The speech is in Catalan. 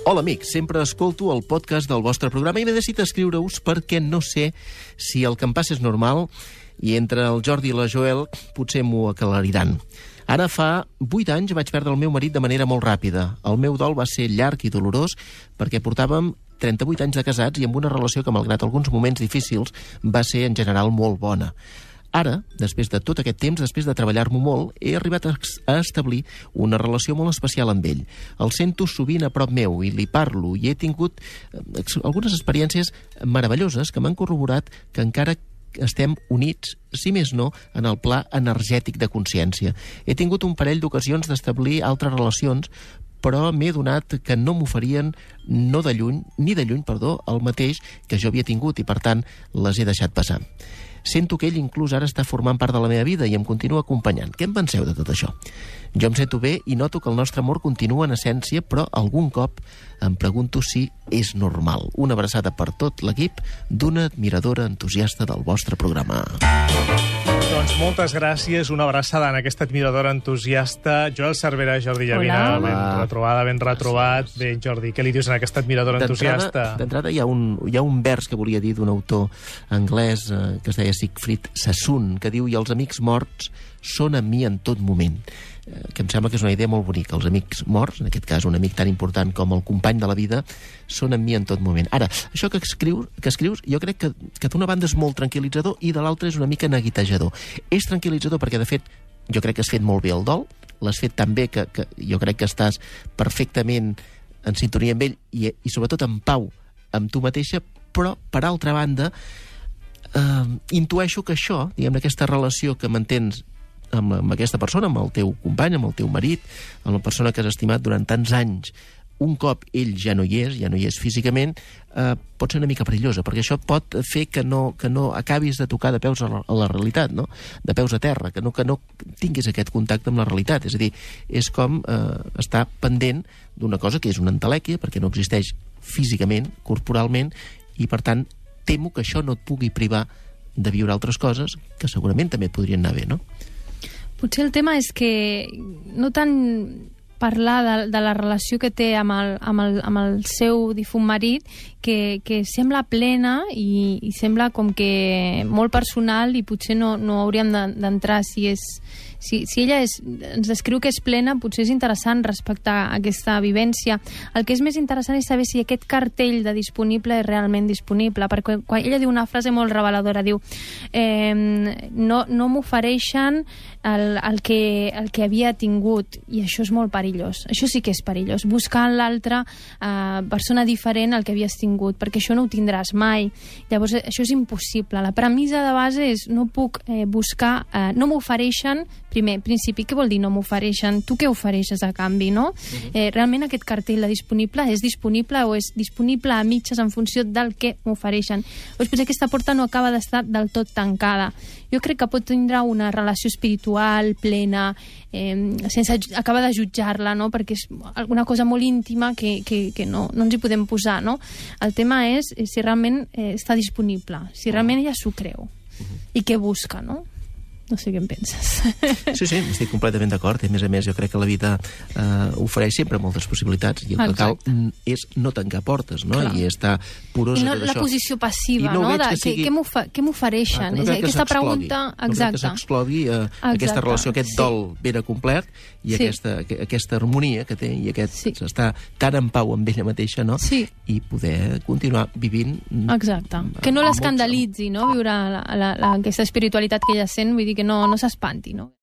Hola, amics. Sempre escolto el podcast del vostre programa i m'he decidit escriure-us perquè no sé si el que em passa és normal i entre el Jordi i la Joel potser m'ho aclariran. Ara fa 8 anys vaig perdre el meu marit de manera molt ràpida. El meu dol va ser llarg i dolorós perquè portàvem 38 anys de casats i amb una relació que, malgrat alguns moments difícils, va ser en general molt bona. Ara, després de tot aquest temps, després de treballar-m'ho molt, he arribat a establir una relació molt especial amb ell. El sento sovint a prop meu i li parlo i he tingut algunes experiències meravelloses que m'han corroborat que encara estem units, si més no, en el pla energètic de consciència. He tingut un parell d'ocasions d'establir altres relacions, però m'he donat que no m'oferien ni de lluny, el mateix que jo havia tingut i, per tant, les he deixat passar. Sento que ell inclús ara està formant part de la meva vida i em continua acompanyant. Què en penseu de tot això? Jo em sento bé i noto que el nostre amor continua en essència, però algun cop em pregunto si és normal. Una abraçada per tot l'equip d'una admiradora entusiasta del vostre programa. Doncs moltes gràcies, una abraçada en aquesta admiradora entusiasta. Joel Cervera, Jordi Llavina, ben retrobada, ben retrobat. Bé, Jordi, què li dius a aquesta admiradora entusiasta? D'entrada hi ha un vers que volia dir d'un autor anglès que es deia Siegfried Sassoon, que diu: i els amics morts són amb mi en tot moment. Que em sembla que és una idea molt bonica. Els amics morts, en aquest cas un amic tan important com el company de la vida, són amb mi en tot moment. Ara, això que escrius jo crec que d'una banda és molt tranquil·litzador i de l'altra és una mica neguitejador. És tranquil·litzador perquè, de fet, jo crec que has fet molt bé el dol, l'has fet tan bé que jo crec que estàs perfectament en sintonia amb ell i sobretot en pau amb tu mateixa, però, per altra banda, intueixo que això, diguem, aquesta relació que mantens amb aquesta persona, amb el teu company, amb el teu marit, amb la persona que has estimat durant tants anys, un cop ell ja no hi és físicament, pot ser una mica perillosa, perquè això pot fer que no acabis de tocar de peus a la realitat, no? De peus a terra, que no tinguis aquest contacte amb la realitat. És a dir, és com estar pendent d'una cosa que és una entelèquia, perquè no existeix físicament, corporalment, i per tant temo que això no et pugui privar de viure altres coses que segurament també et podrien anar bé, no? Potser el tema és que no tant parlar de la relació que té amb el seu difunt marit, que sembla plena i sembla com que molt personal i potser no hauríem d'entrar si ella ens descriu que és plena, potser és interessant respectar aquesta vivència. El que és més interessant és saber si aquest cartell de disponible és realment disponible, perquè quan ella diu una frase molt reveladora, diu no m'ofereixen el que havia tingut, i això és molt perillós. Això sí que és perillós, buscar en l'altra persona diferent al que havies tingut, perquè això no ho tindràs mai. Llavors, això és impossible. La premissa de base és no puc buscar, no m'ofereixen. Primer, principi, què vol dir no m'ofereixen? Tu què ofereixes a canvi, no? Realment aquest cartell de disponible és disponible o és disponible a mitges en funció del que m'ofereixen? Potser aquesta porta no acaba d'estar del tot tancada. Jo crec que pot tindre una relació espiritual plena, sense acabar de jutjar-la, no? Perquè és alguna cosa molt íntima que no ens hi podem posar, no? El tema és si realment està disponible, si realment ella s'ho creu i què busca, no? No sé què en penses. Sí, estic completament d'acord. A més, jo crec que la vida ofereix sempre moltes possibilitats i el que cal és no tancar portes, no? I estar porosa de tot això. I la posició passiva, no? Què m'ofereixen? Aquesta pregunta... No crec que s'exclogui aquesta relació, aquest dol ben acomplert i aquesta harmonia que té i aquest estar tan en pau amb ella mateixa, no? I poder continuar vivint... Exacte. Que no l'escandalitzi, no? Viure aquesta espiritualitat que ella sent, vull dir que no s'espanti, no?